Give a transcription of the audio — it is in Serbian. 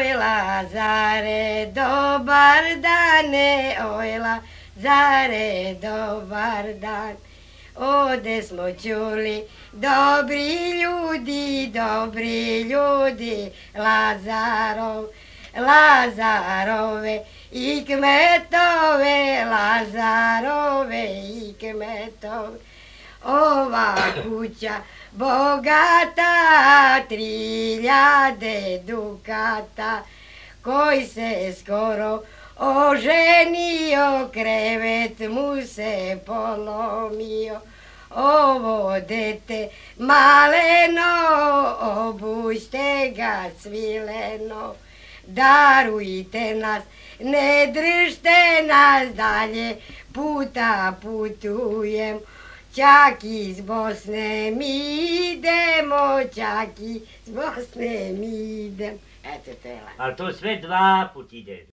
Oj Lazare, dobar dane, oj Lazare, dobar dan. Ode smo čuli, dobri ljudi, Lazarove i kmetove, Lazarove i kmetove. Ova kuća bogata, 3000 dukata, koji se skoro oženio, krevet mu se polomio. Ovo dete maleno, obućte ga svileno, darujte nas, ne držte nas, dalje puta putujem. Čak iz Bosne mi idemo, čak iz Bosne mi idemo. Eto, to je lako. Ali to sve 2 put ide.